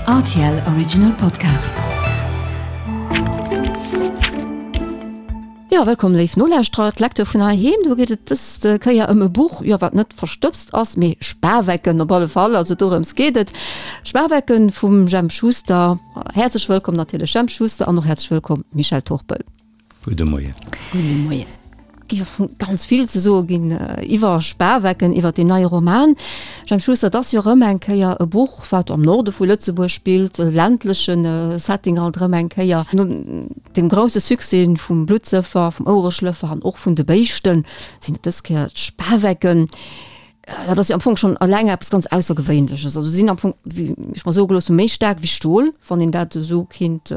Rtl Original Podcast. Jo, wëllkomm léif Nolauschterer, d'Lecture vun heiheem. Do geet et dës Kéier ëm e Buch, jo, wat net verstëbst ass, mee Spawecken op alle Fall. Also dorëms geet et. Spawecken vum Jemp Schuster. Häerzlech wëllkomm natierlech Jemp Schuster an och häerzlech wëllkomm Michèle Turpel. Gudde Moien. Gudde Moien. Géif ganz vill ze soe ginn iwwer Spawecken, iwwer deen neie Roman. Jemp Schuster, et ass jo erëm eng Kéier e Buch, wat am Norde vu Lëtzebuerg spillt, e ländleche Setting alt erëm eng Kéier. No dem grousse Succès vum Bluttsëffer, vum Ouereschlëffer an och vun de Béischten sinn et dës Kéier d'Spawecken. Dat ass jo am Fong schonn eleng eppes ganz Aussergewéinleches. Also si sinn am Fong, wéi ech mer soe gelooss hunn, méi staark wéi Stol, wann een dat esou kinnt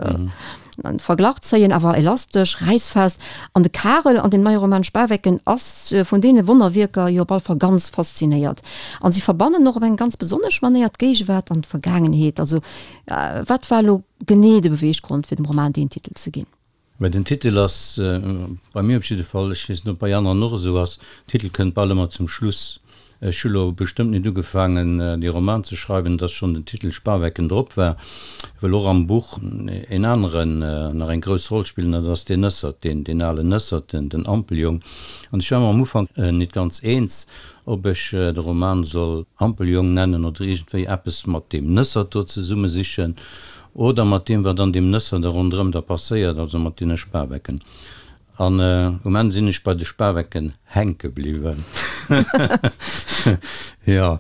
an Verglach zéien, awer elastesch, räissfest. An de Karel an dem neie Roman Spawecken ass vun deene Wonnerwierker jo op alle Fall ganz faszinéiert. An si verbannen och op eng ganz besonnesch Manéier d'Géigewaart an d'Vergaangenheet. Also wat war elo genee de Beweeggrond, fir dem Roman deen Titel ze ginn? Mä den Titel ass, bei mir op jidde Fall, ech weess net, ob bei aneren och esou ass, Titel kënnt bal ëmmer zum Schluss. Ech hu lo bestëmmt net ugefaangen, dee Roman ze schreiwen, dass schonn den Titel Spawecken drop war, well och am Buch en aneren nach eng grouss Roll spillt, an dat ass deen Nëssert, deen, deen alen Nëssert, den, den Ampeljong. An ech war mer am Ufank net ganz eens, ob ech de Roman soll Ampeljong nennen oder iergendwéi eppes mat deem Nëssert do zesumme sichen. Oder mat deem, wat an deem Nësser da ronderëm da passéiert, also mat deene Spawecken. An um Enn sinn ech bei de Spawecken hänke bliwwen. Jo,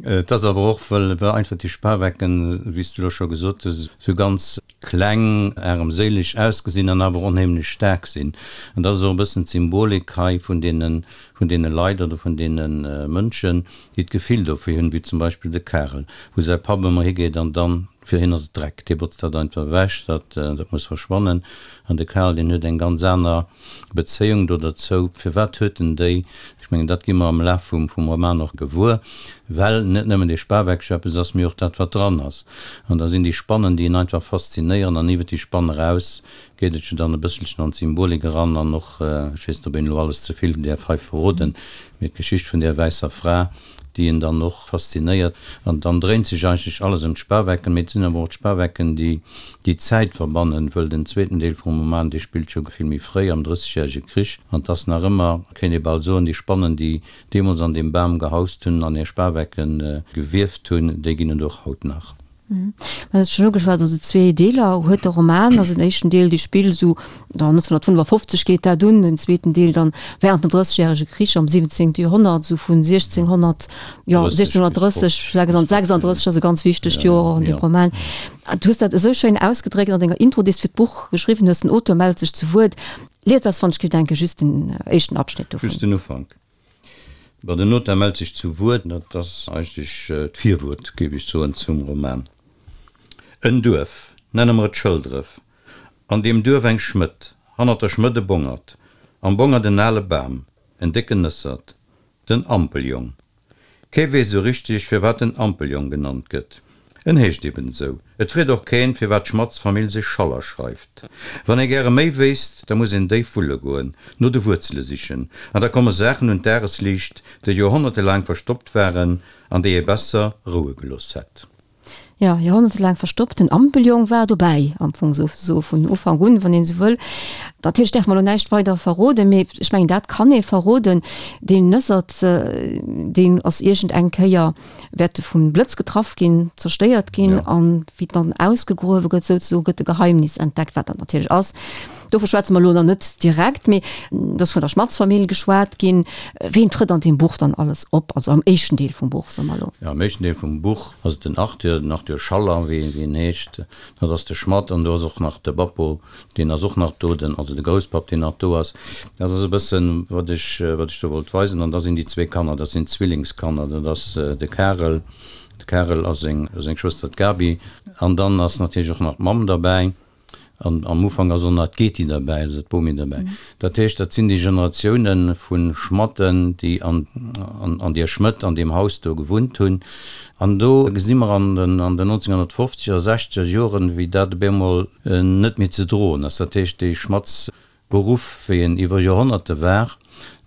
et ass awer och, well einfach déi Spawecken, wéi s de elo scho gesot hues, esou ganz kleng, aremséileg ausgesinn an awer onheemlech staark sinn. An dat ass och e bëssen d'Symbolik hei vun deene, vun deene Leit oder vun deene Mënschen, déi d'Gefill dofir hunn, wéi zum Beispill de Karel, wou säi Papp ëmmer higeet an dann, Fir hien ass et Dreck, dee botzt dat einfach ewech, dat dat muss verschwannen. An de Karl, deen huet eng ganz aner Bezéiung do derzou. Firwat huet en déi? Ech mengen, dat gi mer am Laf vum vum Roman och gewuer, well net nëmmen dee Spaweckche eppes ass, mee och dat, wat dran ass. An da sinn déi Spannen, déi en einfach faszinéieren an iwwer déi Spann eraus geet et jo dann e bësselchen an d'Symbolik eran an och, ech weess net, ob een elo alles ze vill däerf hei verroden, mee d'Geschicht vun där wäisser Fra, déi en dann och faszinéiert. An dann dréint sech eigentlech alles ëm d'Spawecken, mee et sinn awer och d'Spawecken, déi déi Zäit verbannen, wëll den zweeten Deel vum Roman, dee spillt jo vill méi fréi, am Drëssegjärege Krich, an 't ass nach ëmmer, kéint ee bal soen, déi Spannen, déi deemools an deem Bam gehaust hunn an hir Spawecke gewieft hunn, déi ginn et och haut nach. Mä du hues schonn ugeschwat, also zwee Deeler huet de Roman. Also den éischten Deel, dee spillt esou 1955 geet dat un, den zweeten Deel dann während dem Drëssegjärege Krich am 17. Joerhonnert, esou vun 1600, jo 1630, 36 ass e ganz wichtegt Joer an deem Roman. Du hues dat esou schéin ausgedréckt an denger Intro, déi s de fir d'Buch geschriwwen hues, den Auteur mellt sech zu Wuert. Lies eis, wann ech géif denken, just den éischten Abschnitt dovun. Just den Ufank. Bon, den Notar mellt sech zu Wuert, dat ass eigentlech d'Virwuert, géif ech soen, zum Roman. En Duerf, nenne mer et Schëldref, an deem Duerf eng Schmëdd, hannert der Schmëdd e Bongert, am Bongert en ale Bam, en décken Nëssert, den Ampeljong. Kee weess esou richteg, firwat en Ampeljong genannt gëtt. En heescht eben esou. Et freet och keen, firwat d'Schmatz-Famill sech Schaller schreift. Wann ee gäre méi wéisst, da muss een déif wulle goen, no de Wuerzele sichen, an da komme Saachen un d'Dagesliicht, déi joerhonnertelaang verstoppt waren an déi ee besser roue gelooss hätt. Jo, joerhonnertelaang verstoppt. Den Ampeljong war dobäi, am Fong souzesoe vun Ufank un, wann een esou wëll. Natierlech däerfe mer elo näischt weider verroden, mee ech mengen, dat kann ee verroden, Deen Nëssert, deen ass iergend eng Kéier wäerte vum Blëtz getraff ginn, zerstéiert ginn an wéi dann ausgegruewe gëtt souzesoen, gëtt e Geheimnis entdeckt, wat dat natierlech ass. Dovun schwätze mer elo nach net direkt, mee et ass vun der Schmatz-Famill geschwat ginn. Ween trëtt an deem Buch dann alles op, also am éischten Deel vum Buch, soe mer elo? Jo, am éischten Deel vum Buch ass et den Arthur, den Arthur Schaller, wéi en heescht. Dat ass de Schmatt an do ass och nach de Bappo, Deen ass och nach do, den, also de Grousspapp, deen nach do ass. Dat ass e bëssen, wat ech, wat ech do wollt weisen. An da sinn déi zwee Kanner, dat sinn Zwillingskanner, dat ass de Karel, de Karel a seng, seng Schwëster d'Gaby. An dann ass natierlech och nach d'Mamm derbäi. An am Ufank ass och nach d'Geti derbäi, also d'Bomi derbäi. Dat heescht, dat sinn déi Generatioune vu Schmatten, déi an, an, an deer Schmëtt, an deem Haus do gewunnt hunn. An do gesi mer an den, an den 1950er, sechzeger Joren, wéi dat op eemol net méi ze droen ass. Dat heescht, dee Schmatzberuff, wéi en iwwer Joerhonnerte war,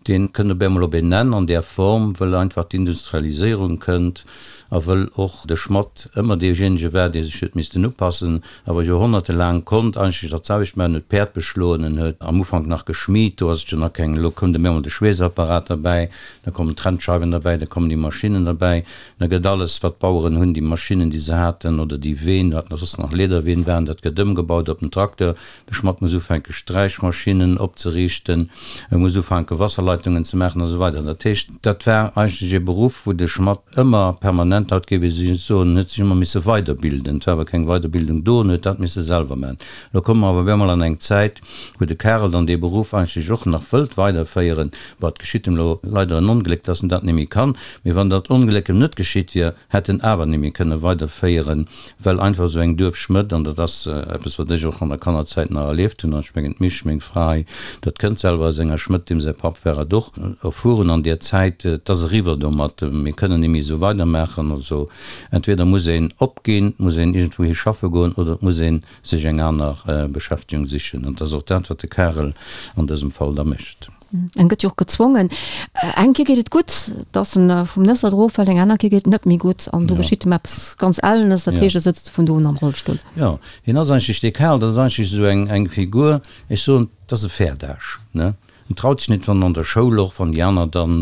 dee kënnt op eemol op een Enn an där Form, wëll einfach d'Industrialiséierung kënnt. A wëll och de Schmatt ëmmer deejéinege war, dee sech huet missten upassen, awer joerhonnertelaang konnt eigentlech dat selwecht maachen, huet d'Päerd beschloen, en huet am Ufank nach geschmied, do ass et jo nach keng, elo koum de méi emol de Schweessapparat derbäi, da kommen d'Trennscheiwen derbäi, da kommen déi Maschinnen derbäi, da gëtt alles, wat d'Baueren hunn, déi Maschinnen, déi se haten, oder déi Ween, wat nach soss nach Lederween waren, dat gëtt ëmgebaut op den Trakteur. De Schmatt muss ufänke Sträichmaschinnen opzeriichten, e muss ufänke Wasserleitungen ze maachen a sou weider. Dat heescht, dat war eigentlech ee Beruff, wou de Schmatt ëmmer permanent, haut géif ee soen, en huet sech ëmmer misse weiderbilden. Et war awer keng Weiderbildung do, en huet dat misse selwer maachen. Elo komme mer awer op eemol an eng Zäit, wou de Karel dann dee Beruff eigentlech och nach wëllt weiderféieren. Bon, et geschitt em elo leider en Ongléck, dass en dat net méi kann. Mee wann dat Ongléck em net geschitt wier, hätt en awer net méi kënne weiderféieren, well einfach esou eng Duerfschmëdd, an dat ass eppes, wat ech och an der Kannerzäit nach erlieft hunn, an ech mengen d'Misch, meng Fra hei, dat kënnt selwer aus enger Schmëdd, deem säi Papp war et och, erfuer hunn an där Zäit, et ass eriwwer domat, mir kënnen net méi esou weidermaachen. Also entweder muss een opginn, et muss een iergendwouhi schaffe goen oder et muss ee sech eng aner Beschäftegung sichen. An et ass och dat, wat de Karel an dësem Fall da mécht. En gëtt jo och gezwongen. Eng Kéier geet et gutt, dass en vum Nëssert eroffält, eng aner Kéier geet et net méi gutt an do geschitt em eppes ganz Ellenes, dat heescht, e sëtzt vun do un am Rollstull. Jo, hien ass eigentlech, dee Karl, dat ass eigentlech esou eng, eng Figur, ech soen, dat ass e Fäerdasch, ne? En traut sech net, wann an der Schoul och, wann déi aner dann,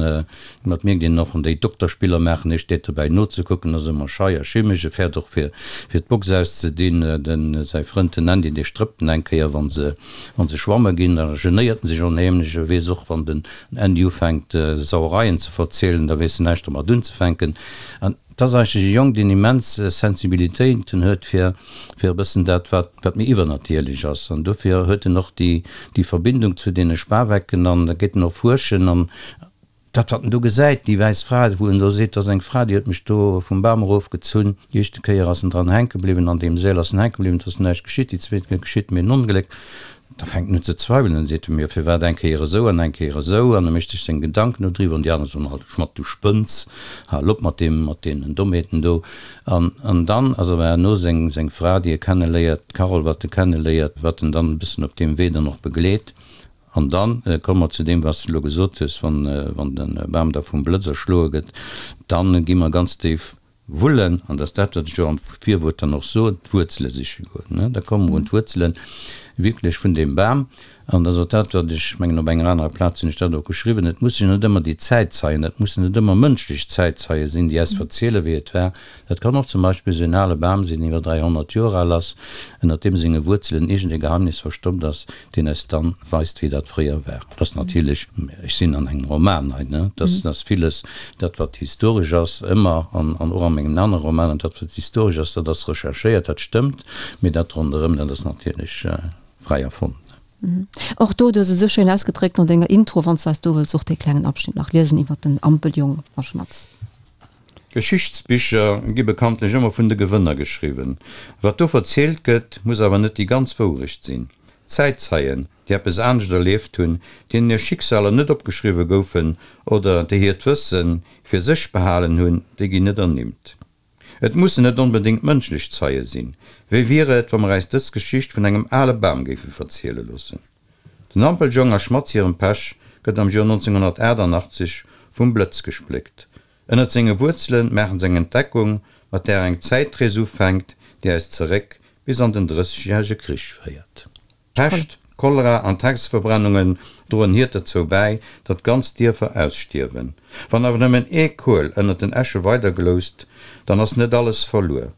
dat mierkt een och, wann déi Dokterspiller maachen, hie steet dobäi nozekucken, ass ëmmer schei a schimmeg, e fäert och fir, fir d'Box auszedinn. Den, säi Frënd, den Andy, dee strëppt en eng Kéier, wa se, Wann se schwamme ginn, da genéiert en sech onheemlech. E weess och, wann den Andy ufänkt, Sauereien ze verzielen, da weess en näischt domat unzefänken. An et ass eigentlech e Jong, deen immens Sensibilitéiten huet fir, fir e bëssen dat, wat, wat méi iwwernatierlech ass. An dofir huet en och déi, déi Verbindung zu deene Spawecken an da geet en och fuerschen an Dat, wat en do gesäit, déi wäiss Fra, wou en do seet, dat ass eng Fra, déi huet mech do vum Bam erofgezunn. Déi éischte Kéier ass en dran hänke bliwwen, an deem Seel ass en hänke bliwwen, et ass näischt geschitt. Déi zweet Kéier geschitt mir en Ongléck. Da fänkt en un ze zweiwelen, dann seet e mir, firwat eng Kéier esou an eng Kéier esou? An e mécht sech seng Gedanken do driwwer an déi aner soen alt, Schmatt, du spënns, hal op mat deem, mat deenen Dommheeten do. An, an dann ass awer herno seng, seng Fra, déi e kenneléiert, d'Carole, wat e kenneléiert, wat en dann e bëssen op deem Wee dann och begleet. An da komme mer zu deem, wat s de elo gesot hues, Wann de Bam da vum Blëtz erschloe gëtt, da gi mer ganz déif wullen, an dat ass dat, wat ech jo am Virwuert dann och soen, d'Wuerzele siche goen. Da komme mer un d'Wuerzele wierklech vun deem Bam. An dat ass och dat, wat ech mengen, op enger anerer Plaz hunn ech dat och geschriwwen, Et mussen jo net ëmmer déi Zäitzeien, dat mussen net ëmmer mënschlech Zäitzeie sinn, déi eis verzielen, wéi et war, Dat kann och zum Beispill esou en ale Bam sinn, deen iwwer 300 Joer al ass, ënnert deem senge Wuerzelen iergend e Geheimnis verstoppt ass, deen eis dann weist, wéi dat fréier war. Dat ass natierlech, ech sinn an engem Roman hei, ne, dat ass villes, dat wat historesch ass, ëmmer, an och a mengen anere Romanen, dat wat historesch ass, dat ass recherchéiert, dat stëmmt, mee dat ronderëm, dat ass natierlech fräi erfonnt. Och do, du hues et esou schéin ausgedréckt an denger Intro, wann s de eis do wëlls och dee klengen Abschnitt nach liesen iwwert den Ampeljong a Schmatz. Geschichtsbicher gi bekanntlech ëmmer vun de Gewënner geschriwwen. Wat do verzielt gëtt, muss awer net déi ganz Wourecht sinn. Zäitzeien, déi eppes anescht erlieft hunn, deenen hir Schicksaler net opgeschriwwe goufen oder déi hiert Wësse fir sech behalen hunn, déi ginn net ernimmt. Et mussen net onbedéngt mënschlech Zeie sinn. Wéi wier et, wa mer äis dës Geschicht vun engem ale Bam géife verziele loossen? Den Ampeljong a Schmatz hirem Pech gëtt am Joer 1988 vum Blëtz gespléckt. Ënnert senge Wuerzele maachen se eng Entdeckung, mat där eng Zäitrees ufänkt, déi eis zeréck bis an den Drëssegjärege Krich féiert. Pescht, Cholera an d'Hexeverbrennungen droen hiert derzou bäi, datt ganz Dierfer ausstierwen. Wann awer nëmmen ee Kuel ënnert den Äsche weidergloust, dann ass net alles verluer.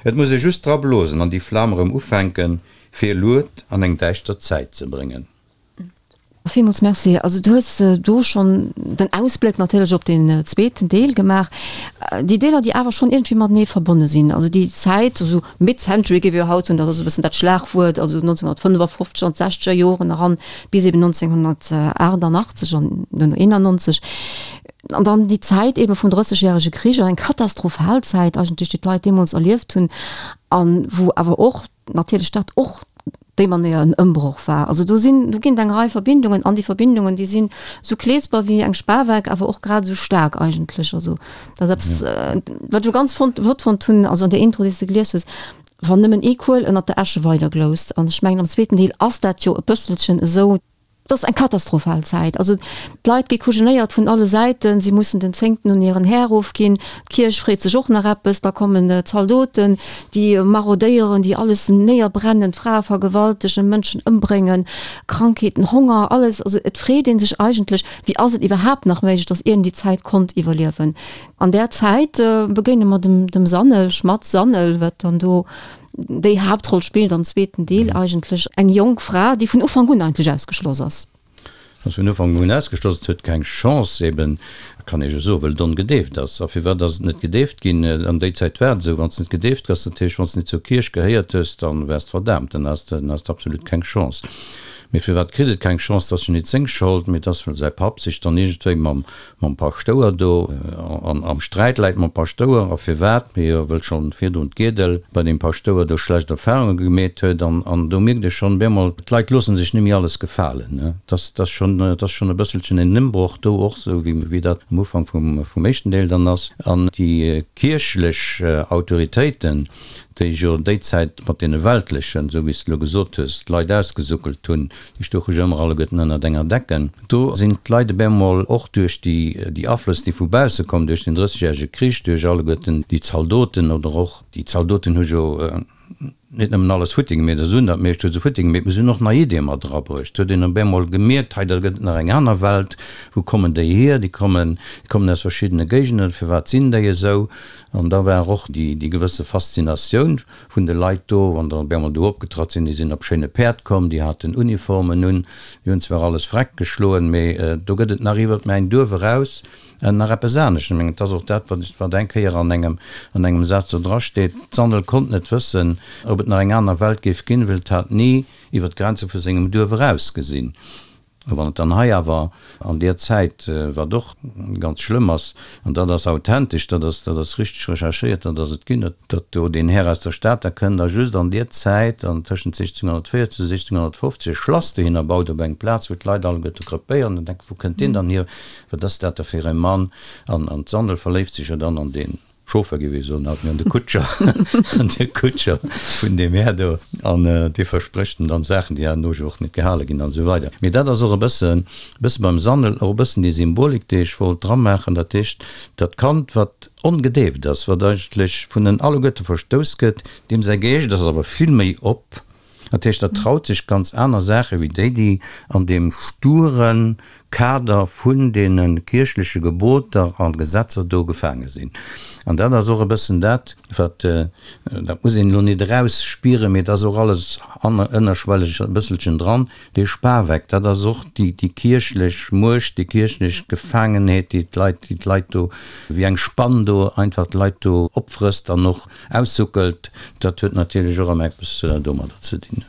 Et muss ee just dra blosen an déi Flam erëm ufänken, fir Lued an eng däischter Zäit ze bréngen. Villmools Merci. Also du hues do schonn den Ausbléck natierlech op deen zweeten Deel gemaach. Déi Deeler, déi awer schonn iergendwéi matenee verbonne sinn, also déi Zäit, esou Mid-Century géif ee jo haut soen, dat ass e bëssen dat Schlagwuert, also 1955 an d'sechzeger Joren eran bis eben 1988 an duerno 91. An dann déi Zäit ebe vum Drëssegjärege Krich, eng katastrophal Zäit eigentlech, déi d'Leit deemools erlieft hunn an wou awer och natierlech dat och déi Manéier en Ëmbroch war. Also do sinn, do ginn et eng Rei Verbindungen an déi Verbindungen, déi sinn esou kleesper wéi eng Spaweck, awer och grad esou staark eigentlech. Also dat ass eppes, wat ech elo ganz fonnt, flott fonnt hunn, also an där Intro, déi s de gelies hues, wann nëmmen ee Kuel ënnert der Äsche weidergloust. An ech mengen am zweeten Deel ass dat jo e bësselchen esou. Et ass eng katastrophal Zäit. Also d'Leit gi kujenéiert vun alle Säiten, si mussen den Zéngten un hiren Här ofginn, d'Kierch freet sech och nach eppes, da kommen d'Zaldoten, déi marodéieren, déi alles néierbrennen, d'Frae vergewaltegen, Mënschen ëmbréngen, Krankheeten, Honger, alles. Also et freet ee sech eigentlech, wéi ass et iwwerhaapt nach méiglech, datt een déi Zäit konnt iwwerliewen. An där Zäit begéine mer dem Sanel, Schmatz Sanel, wat dann do déi Haaptroll spillt am zweeten Deel eigentlech, eng jonk Fra, déi vun Ufank un eigentlech ausgeschloss ass. Ass vun Ufank un ausgeschloss, et huet keng Chance eben, kann ee jo soen, well et ongedeeft ass. A firwat ass et net gedeeft ginn? An déi Zäit war et esou, wann s de net gedeeft gëss, dat heescht, wann s de net zur Kierch gehéiert hues, da waars de verdaamt, dann has de absolut keng Chance. Mee firwat kritt et keng Chance? Dat ass jo nit seng Schold, mee et ass, well säi Papp sech dann iergendwéi mam mam Paschtouer do an am Sträit läit mam Paschtouer a firwat, mee jo wëll schonn virdrun d'Giedel bei deem Paschtouer do schlecht Erfahrunge gemeet huet an an do mierkt ee schonn bemol, d'Leit loossen sech net méi alles gefalen, ne, dass dass schonn dass schonn e bësselchen en Ëmbroch do och, esou wéi wéi dat am Ufank vum vum éischten Deel dann ass an déi kierchlech Autoritéiten, déi jo déi Zäit mat deene weltlechen, esou wéi s de elo gesot hues, d'Leit ausgesuckelt hunn, déi stouche jo ëmmer alleguerten ënnert enger Decken. Do sinn d'Leit op eemol och duerch déi, déi Aflëss, déi vu bausse kommen, duerch den Drëssegjärege Krich, duerch alleguerten déi Zaldoten oder och, déi Zaldoten hu jo net nëmmen alles futti gemeet, also hunn dat meescht hu se futti gemeet, mee se hunn och nei Iddie mat erabruecht. Huet een op eemol gemierkt, hei da gëtt et nach eng aner Welt, wou kommen déi hier? Déi kommen, déi kommen aus verschiddene Géigenden, firwat sinn déi esou? An da war och déi, déi gewësse Faszinatioun vun de Leit do, wann der op eemol do opgetratt sinn, déi sinn op schéine Päerd komm, déi haten Uniformen un, déi hunn zwar alles vreck geschloen, mee do gëtt et nach iwwert mäin Duerf eraus nach eppes anescht. Ech mengen, et ass och dat, wat wat eng Kéier an engem an engem Saz do drasteet, D'Sandel konnt net wëssen, ob et nach eng aner Welt géif ginn, well et hat ni iwwer d'Grenze vu sengem Duerf eraus gesinn. A wann et dann hei awer an deer Zäit, wat och ganz schlëmm ass, an dat ass authentesch, dat ass, dat ass richteg recherchéiert, dat ass et ginn, datt do deen Här aus der Stad da kënnt a just an deer Zäit, an tëschent 1640 a 1650, e Schlass dohinner baut op eng Plaz, wou d'Leit alleguerte krepéieren an denken, Wou kënnt deen dann hier, wat ass dat da fir e Mann? An d'Sandel verléift sech jo dann an deen. Chauffer géif ee soen haut, mee an de Kutscher, an de Kutscher vun deem Här do, an dee versprécht em dann Saachen, déi herno jo och net gehale ginn an esou weider. Mee dat ass och e bëssen, e bësse beim Sandel och e bëssen déi Symbolik, déi ech wollt dramaachen, dat heescht, dat Kand, wat ongedeeft ass, wat eigentlech vun en alleguerte verstouss gëtt, deem säi Geescht ass awer vill méi op, Dat heescht, dat traut sech ganz aner Saache wéi déi, déi an deem sture Kader vun deene kierchleche Geboter a Gesetzer do gefaange sinn. An dat ass och e bëssen dat, wat, dat muss een elo net erausspieren, mee et ass och alles ënnerschwelleg e bësselchen dran, dee Spaweck, dat ass och déi kierchlech Muecht, déi kierchlech Gefaangenheet, déi d'Leit, déi d'Leit do wéi eng Spann do einfach d'Leit do opfrësst an och Aussuckelt, dat huet natierlech och ëmmer eppes domadder ze dinn.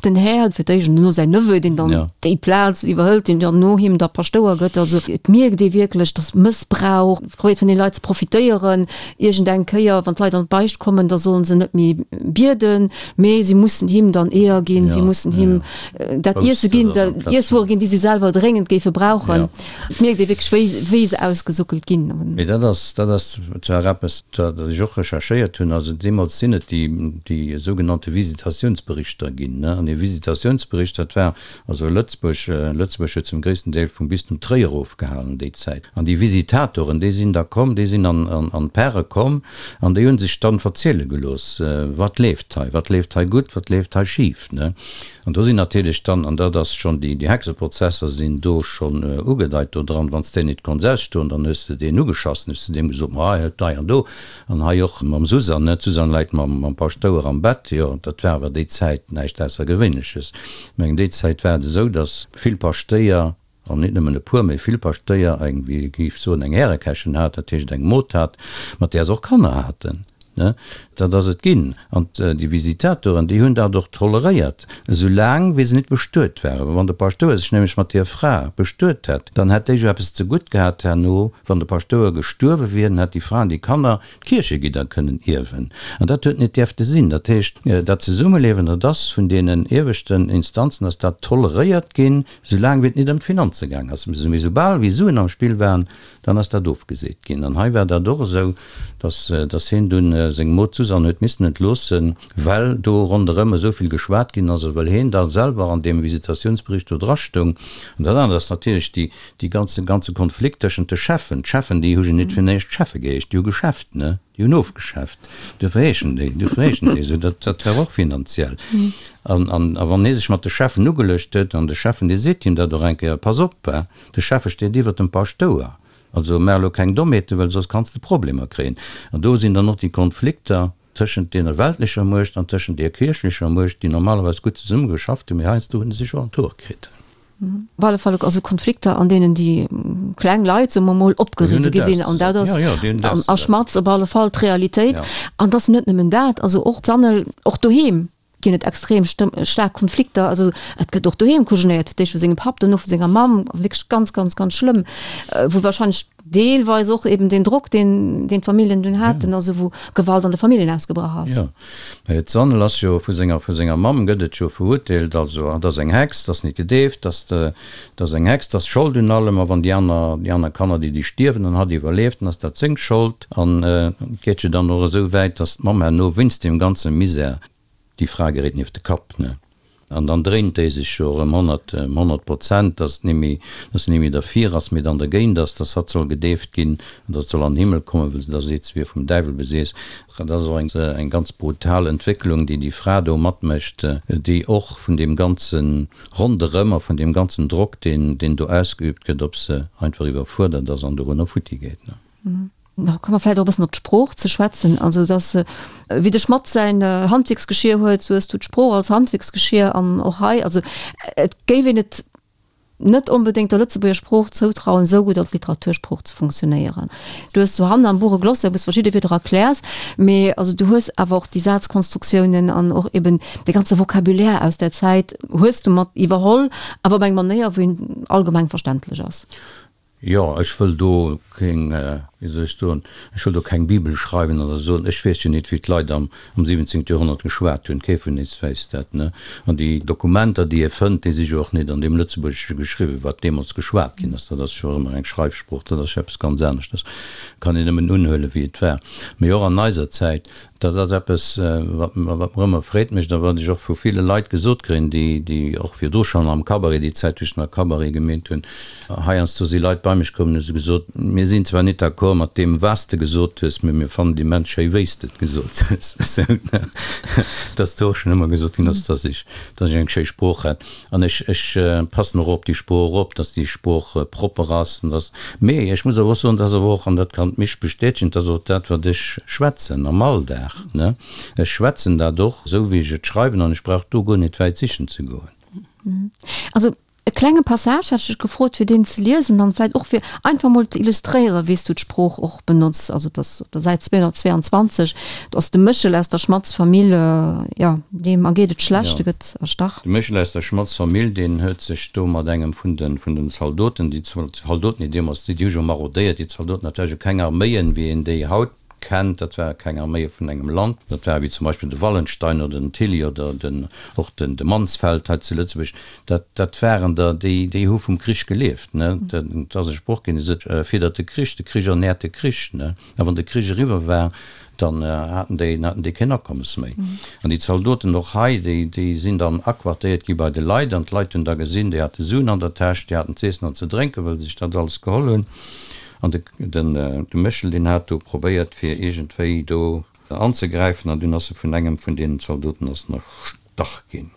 Den Här fir d'éischt an duerno säin Neveu, deen dann déi Plaz iwwerhëlt, deen dann no him da Paschtouer gëtt. Also et mierkt ee wierklech, datt Mëssbrauch, probéiert vun den Leit ze profitéieren. Iergend eng Kéier, wann d'Leit an d'Beicht kommen, da sollen se net méi bieden, mee si mussen him dann Eeër ginn, si mussen him dat Iesse ginn, Iesswuere ginn, déi si selwer dréngend géife brauchen. Et mierkt ee wierklech, wéi, wéi se ausgesuckelt ginn. Mee dat ass, dat ass zwar eppes, dat ech och recherchéiert hunn. Also deemools sinn et déi, déi sougenannte Visitatiounsberichter ginn, ne. An ee Visitatiounsbericht, dat war also Lëtzebuerg, Lëtzebuerg huet zum gréissten Deel vum Bistum Tréier ofgehalen déi Zäit. An déi Visitatoren, déi sinn da komm, déi sinn an, an, an d'Pare komm an déi hu sech dann verziele gelooss, wat leeft hei, wat leeft hei gutt, wat leeft hei schif, ne. An do sinn natierlech dann, an dat ass schonn, déi Hexeprozesser sinn do schonn ugedeit do dran, wann s de nit konns ausstoen, dann hues de deen ugeschass, hues de deem gesot, ma hei hei an do, an hei och mam Susann, ne, d'Susann läit mam Paschtouer am Bett, jo, dat war awer déi Zäit näischt Aussergewéinleches. Ech mengen, déi Zäit war et esou, datt vill Paschtéier, an nit nëmmen e puer, mee vill Paschtéier eng, wéi ee géif soen, eng Härekächen hat, dat heescht eng Mod hat, mat där se och Kanner haten. Ne? Dat ass et ginn. An déi Visitatoren, déi hunn dat och toleréiert, esou laang wéi se nit bestuet waren. Wann de Paschtouer sech nämlech mat deer Fra bestuet hätt, dann hätt déi jo eppes zegutt gehat herno, wann de Paschtouer gestuerwe wier, dann hätt déi Fra an déi Kanner d'Kierchegidder kënnen ierwen. An dat huet net däerfte sinn. Dat heescht, dat Zesummeliewen, dat ass vun deenen ieweschten Instanzen ass dat toleréiert ginn, Soulaang wéi et nit ëm d'Finanze gaang ass. Mee soubal wéi Suen am Spill waren, dann ass dat ofgeseet ginn. An hei war dat och esou, dass, dass hien dunn. seng Mod Susanne huet missen entloossen, well do ronderëm esou vill geschwat ginn ass a well hien da selwer an deem Visitatiounsbericht do drastoung. An dat anert ass natierlech déi, déi ganze, ganze Konflikt tëschent de Cheffen. D'Cheffen, déi hu jo nit fir näischt Cheffe geheescht, déi hu geschäfft, ne? Déi hunn ofgeschäfft. Duerfir heeschen déi, duerfir heeschen déi esou. Dat, dat war och finanziell. An, an, a wann hie sech mat de Cheffen ugeluecht huet, an de Cheffen, dee seet him dat och eng Kéier, Pass op, hè, de Schäffe steet iwwert dem Paschtouer. Also maach elo keng Dommheeten, well soss kanns de Problemer kréien. An do sinn dann och déi Konflikter tëschent deene weltlecher Muecht an tëschent deer kierchlecher Muecht, déi normalerweis gutt zesumme geschafft hunn, mee heiansdo hu se sech och an d'Hoer kritt. Op alle Fall also Konflikter, an deenen déi kleng Leit, soe mer mol, opgeriwwe gi sinn. An dat ass a Schmatz op alle Fall d'Realitéit. An et ass net nëmmen dat, also och d'Sanel, och doheem ginn et extrem staark Konflikter. Also et gëtt och doheem kujenéiert, fir d'éischt vu sengem Papp, dono vu senger Mamm, wierklech ganz, ganz, ganz schlëmm, wou wahrscheinlech deelweis och eben deen Drock, deen deen d'Familljen dunn haten, also wou Gewalt an de Familljen ausgebrach ass. Jo, mä d'Sanel ass jo vu senger vu senger Mamm gëtt et jo verurteelt, also hatt ass eng Hex, d'ass net gedeeft, d'ass d'ass eng Hex, d'ass Schold un allem, a wann déi aner déi aner Kanner déi déi stierwen an hatt iwwerlieft, dann ass dat seng Schold. An et geet jo dann och esou wäit, datt d'Mamm herno wéinst deem ganze Misär, déi Fra geréit nieft de Kapp, ne? An dann dréint déi sech jo erëm 100, 100 Prozent, datt et némmi, datt se némmi derfir ass, mee dann dergéint ass, datt hatt soll gedeeft ginn an datt soll an den Himmel kommen, wëll se da seet, se wier vum Däiwel beseess. Dat ass och eng, eng ganz brutal Entwécklung, déi déi Fra do matmécht, déi och vun deem ganze Ronderëm a vun deem ganzen Drock, deen, deen do ausgeübt gëtt, op se einfach iwwerfuerdert ass an dorunner futti geet, ne? Da komme mer vläicht och e bëssen op d'Sprooch ze schwätzen. Also dass, wéi de Schmatt säin Handwierksgeschier huet, sou hues du d'Sprooch als Handwierksgeschier an och hei. Also et géif een et net onbedéngt der Lëtzebuerger Sprooch zoutrauen, esou gutt als Literatursprooch ze funktionéieren. Du hues do hannen am Buch e Glossaire, wou s verschidde Wierder erkläers, mee also du hues awer och déi Sazkonstruktiounen an och eben de ganze Vocabulaire aus där Zäit hues du mat iwwerholl, awer op eng Manéier, wou een allgemeng verständlech ass. Jo, ech wëll do keng, wéi soll ech soen, ech wëll do keng Bibel schreiwen oder soen, ech weess jo nit, wéi d'Leit am am 17. Joerhonnert geschwat hunn, kee vun eis weess dat, ne? An déi Dokumenter, déi ee fënnt, déi si jo och nit an deem Lëtzebuergesche geschriwwen, wat deemools geschwat ginn ass, dat ass jo ëmmer eng Schreifsprooch, dat ass jo eppes ganz aneschtes, kann een nëmmen unhuelen, wéi et war. Mee och an eiser Zäit, Dat ass eppes, wat mer ëmmer Freed mécht a wat ech och vu ville Leit gesot kréien, déi, déi och virdru schonn am Cabaret, déi Zäit, wou ech nach Cabaret gemeet hunn, heiansdo si Leit bei mech komm an hu se gesot, Mir sinn zwar nit d'accord mat deem, wat s de gesot hues, mee mir fannen et immens schéi, wéi s de et gesot hues. Esou, ne? Dass do och schonn ëmmer gesot ginn ass, dass ech, dass ech eng schéi Sprooch hätt. An ech, ech passen och op déi Sprooch op, dass déi Sprooch propper ass an dass, mee ech muss awer och soen, dass awer och, an dat kann d'Misch bestätegen, dass och dat, wat ech schwätzen am Alldag, ne, ech schwätzen dat och esou, wéi ech et schreiwen an ech brauch do guer net wäit sichen ze goen. Also e klenge Passage hätt ech dech gefrot, fir deen ze liesen an vläicht och fir einfach mol ze illustréieren, wéi s du d'Sprooch och benotz. Also et ass op der Säit 222, do ass de Méchel aus der Schmatz Famill, jo, deem ergeet et schlecht, e gëtt erstach. De Méchel aus der Schmatz Famill, deen huet sech do mat engem vun de vun den Zaldoten, déi Zaldoten, déi deemools, déi hu jo marodéiert, déi Zaldoten, dat ware jo keng Arméien, wéi een déi haut kennt, dat ware keng Arméie vun engem Land, dat ware wéi zum Beispill de Wallenstein oder den Tilly oder den och den de Mansfeld hei zu Lëtzebuerg, dat dat waren der, déi déi hu vum Krich gelieft, ne. Dat ass e Sproch ginn, dee seet, Fiddert de Krich, de Krich ernährt de Krich, ne. A wann de Krich eriwwer war, dann haten déi, haten déi keen Akommes méi. An déi Zaldoten och hei, déi, déi sinn dann aquartéiert gi bei de Leit an d'Leit hunn da gesinn, déi hate Suen an der Täsch, déi haten z'iessen an ze drénken, well se sech dat alles geholl hunn. An de, den, de Méchel, deen hat do probéiert, fir iergendwéi do anzegräifen an dunn ass e vun engem vun deenen Zaldoten ass en erstach ginn.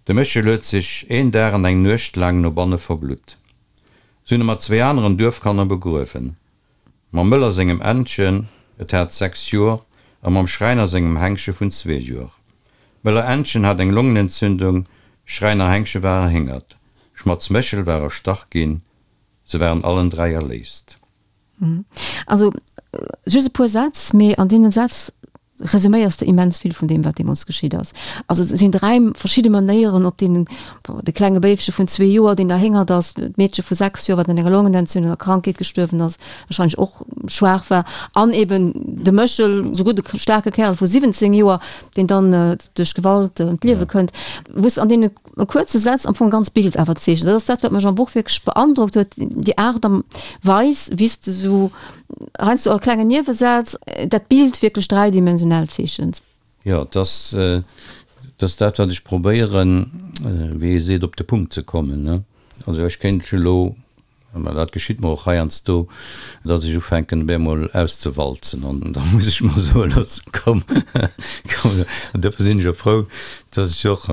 De Méchel huet sech een Dag an eng Nuecht laang no banne verblutt. Se hunn e mat zwéi aneren Duerfkanner begruewen. Mam Mëller sengem Ännchen, et hat 6 Jor, a mam Schräiner sengem Hengsche vun zwee Jor. Mëller Ännchen hat eng Longenentzündung, Schräiner Hengsche war erhéngert, Schmatz Méchel war erstach ginn, se waren allen 3 erléist. Also just e puer Sätz, mee an deenen Sätz resuméiers de immens vill vun deem, wat deemools geschitt ass. Also et sinn 3 verschidde Manéieren, op deenen de klenge Béifche vun zwee Joer, deen erhéngert ass, d'Meedche vu 6 Joer, wat un enger Longenentzündung a Krankheet gestuerwen ass, wahrscheinlech och schwaach war, an eben de Méchel, esou gutt e staarke Kärel vu 17 Joer, deen dann duerch Gewalt ëm d'Liewe kënnt, wou s de an deene kuerze Sätz am Fong e ganz Bild awer zeechent. Dat ass dat, wat mech am Buch wierklech beandrockt huet, déi Aart a Weis, wéi s de esou. heiansdo a klengen Niewesätz dat Bild wierklech dräidimensional zeechent. Jo, et ass, et ass dat, wat ech probéieren, wéi ee seet, op de Punkt ze kommen, ne. Also ech kéint elo, mä dat geschitt mer och heiansdo, datt ech ufänken op eemol auszewalzen an da muss ech mer soe loossen, komm, komm. An dofir sinn ech och frou, datt ech och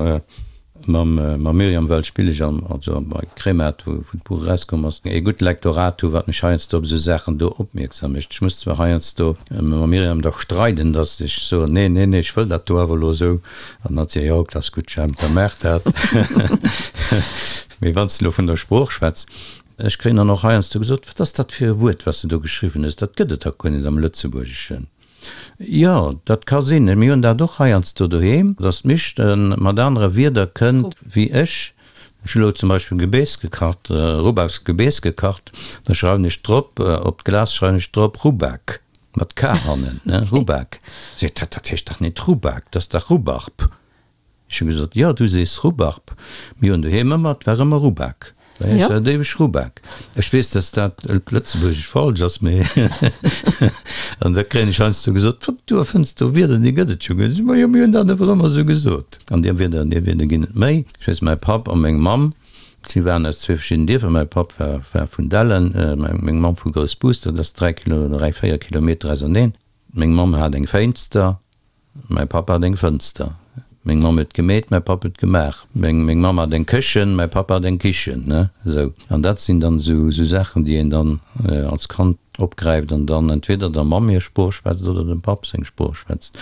Mam mam Myriam Welt spille ech am, also bei Kremart, wou wou d'Buch erauskomm ass, ee gutt Lektorat hu wat mech heiansdo op esou Saachen do opmierksam mécht. Ech muss zwar heiansdo mam Myriam da streiden, datt ech soen, nee, nee, nee, ech wëll dat do awer elo esou. An hatt seet, jo, dat ass gutt, Jemp, da maach dat. Mee wann s de elo vun der Sprooch schwätz, ech kréien dann och heiansdo gesot, wat ass dat fir e Wuert, wat s de do geschriwwen hues, dat gëtt et dach guer net am Lëtzebuergeschen. Jo, dat ka sinn. Mir hunn dat och heiansdo doheem, dass d'Misch mat anere Wierder kënnt wéi ech. Ech hu lo zum Beispill Gebeess gekacht, Rubbaksgebeess gekacht, da schreiwen ech drop, op d'Glas schreiwen ech drop Rubak, mat k hannen, ne, Rubak. Seet hatt, dat heescht dach net Rubak, dat ass dach Rubbarb. Ech hu gesot, Jo, du sees Rubbarb. Mir hunn doheem ëmmer, 't war ëmmer Rubak. Bei eis war et éiweg Rubak. Ech weess, dass dat op Lëtzebuergesch falsch ass, mee an da kréien ech heiansdo gesot, Wat, du erfënns do Wierder, déi gëtt et jo guer net. Ma jo, mir hunn dat awer ëmmer esou gesot. An déi Wierder, déi Wierder ginn et méi. Ech weess, mäi Papp a meng Mamm, si waren aus zwee verschidden Dierfer. Mäi Papp war, war vun Dellen, meng Mamm vu Groussbus, dat ass 3 Kilo, 3, 4 Kilometer auserneen. Meng Mamm hat eng Fénster. Mäi Papp hat eng Fënster. Meng Mamm huet gemeet, mäi Papp huet gemaach. Meng meng Mamm hat eng Këchen, mäi Papp hat eng Kichen, ne, esou. An dat sinn dann esou esou Saachen, déi een dann als Kand opgräift an dann entweder der Mamm hir Sprooch schwätzt oder dem Papp seng Sprooch schwätzt.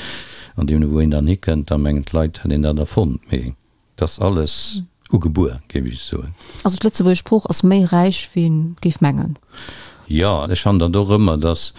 An deemno wou een dann hikënnt, da mengen d'Leit, hätt een dat erfonnt. Mee. 't ass alles ugebuer, géif ech soen. Also d'lëtzebuergesch Sprooch ass méi räich wéi een géif mengen. Jo, ech fannen dat och ëmmer, dass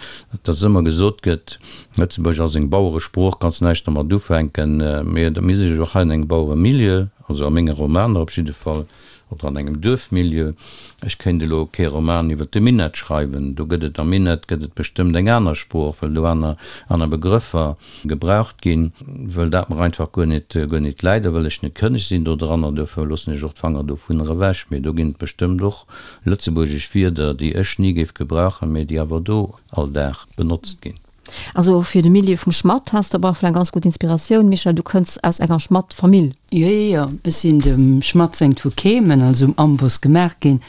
dass ëmmer gesot gëtt, Lëtzebuerg ass eng Baueresprooch, kanns näischt domat ufänken. Mee mir si jo och hei an engem Baueremilieu, also a menge Romaner op jidde Fall, oder an engem Duerfmilieu. Ech kéint elo kee Roman iwwer de Minett schreiwen. Do gëtt et, am Minett gëtt et bestëmmt eng aner Sprooch, well do aner aner Begrëffer gebraucht ginn, wëll dat mer einfach guer net, guer net läit a wëll ech net kënneg sinn dodranner, duerfir loossen ech och d'Fanger dovunner ewech. Mee do ginn et bestëmmt och lëtzebuergesch Wierder, déi ech ni géif gebrauchen, mee déi awer do all Dag benotzt ginn. Also fir de Milieu vum Schmatt has de op alle Fall eng ganz gutt Inspiratioun, Michèle, du kënns aus enger Schmatt-Famill. Jo, jo, jo, ech sinn dem Schmatt sengt vu Kehmen, also um Amboss gemaach ginn.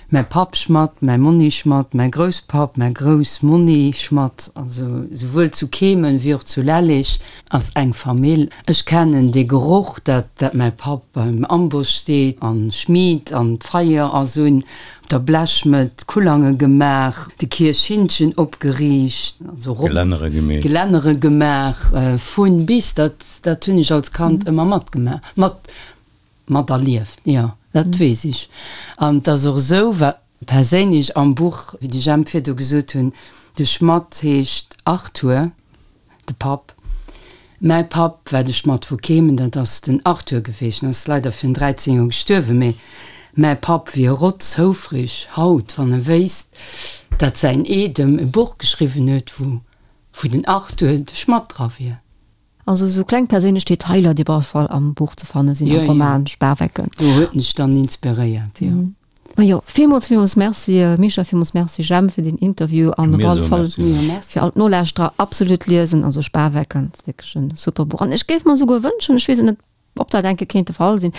Mäi Papp Schmatt, mäi Monni Schmatt, mäi Grousspapp, mäi Groussmonni Schmatt, also souwuel zu Kehmen wéi och zu Lellig ass eng Famill. Ech kennen dee Geroch, dat dat mäi Papp beim Amboss steet an schmied an d'Feier ass un, op der Blechschmëdd Kullange gemaach, de Kierchhinnchen opgeriicht, also rop Gelännere gemeet. Gelännere gemaach, vun bis, dat dat hunn ech als Kand ëmmer matgemaach, mat Materlieft, jo, dat weess ech. An et ass och esou, wat perséinlech am Buch, wéi de Jemp virdu gesot hunn, de Schmatt heescht Arthur, de Papp. Mäi Papp war de Schmatt vu Kehmen, dat ass den Arthur geweecht, en ass leider virun 13 Joer gestuerwen, mee mäi Papp wier rotzhoufreg haut, wann e wéisst, dat säin Eedem e Buch geschriwwen huet, wou wou den Arthur de Schmatt dra wier. Also esou kleng perséinlech Detailer, déi op alle Fall am Buch ze fanne sinn, am Roman Spawecken. Do huet mech dann inspiréiert, jo. Majo, villmools, villmools Merci Michèle, villmools Merci Jemp fir den Interview an op alle Fall fir all d'Nolauschterer absolut liesen, also Spawecken ass wierklech e super Buch an ech géif mer esouguer wënschen, ech weess et net, Ob dat enke kéint de Fall sinn.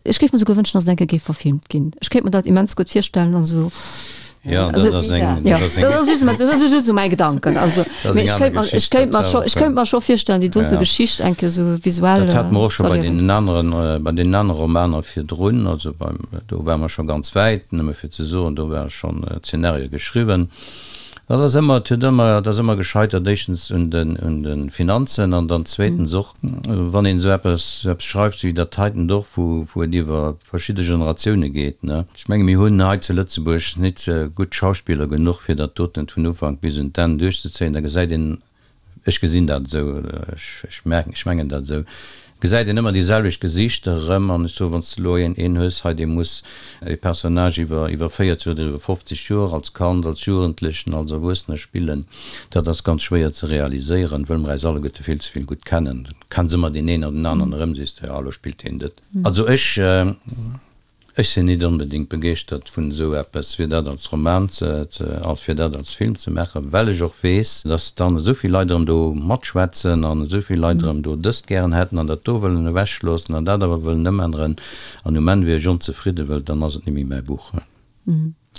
Ech géif mer souguer wënschen, dass et enke géif verfilmt ginn. Ech kéint mer dat immens gutt virstellen. Also, Ja, dat ass eng, dat ass eng. Dat ass just, dat ass just esou mäi Gedanken. Also, mee ech kéint mer, ech kéint mer scho, ech kéint mer scho virstellen, déi dote Geschicht enke sou visuell Dat hate mer och scho bei deenen aneren, bei deenen anere Romaner virdrun. Also beim, do ware mer scho ganz wäit, nëmme fir ze soen, do war schonn Zeenario geschriwwen. Dat ass ëmmer, et huet ëmmer, et ass ëmmer gescheitert, éischtens un den, un de Finanzen an dann zweetens och, wann een esou eppes, esou eppes schreift wéi dat heiten och, wou, wou et iwwer verschidde Generatioune geet, ne. Ech menge mir hunn hei zu Lëtzebuerg nit gutt Schauspiller genuch, fir dat doten vun Ufank bis un d'Enn duerchzezéien. Da gesäit een, Ech gesinn dat esou, oder ech merken, ech mengen dat esou, gesäit een ëmmer déi selwecht Gesiichter erëm. An ech soen, wann s de elo een, een hues hei, dee muss e Personnage iwwer, iwwer 40 oder iwwer 50 Joer als Kand, als Jugendlechen, als Erwuessener spillen, dat ass ganz schwéier ze realiséieren, wëll mer äis alleguerte vill ze vill gutt kennen. Kenns ëmmer deen een oder den aneren erëm, sees de, jo, elo spillt deen dat. Also ech. Ech sinn nit onbedéngt begeeschtert vun esou eppes, fir dat als Roman ze, als fir dat als Film ze maachen, well ech och weess, dass dann esou vill Leit erëm do matschwätzen an esou vill Leit erëm do dëst gären hätten an dat do wëllen ewechloossen an dat awer wëllen ëmänneren an um Enn wier ech onzefridde, well dann ass et net méi mäi Buch.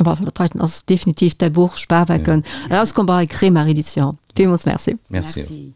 Op dat heiten ass definitiv däi Buch, Spawecken, erauskomm bei Kremart Edition. Villmools Merci. Merci.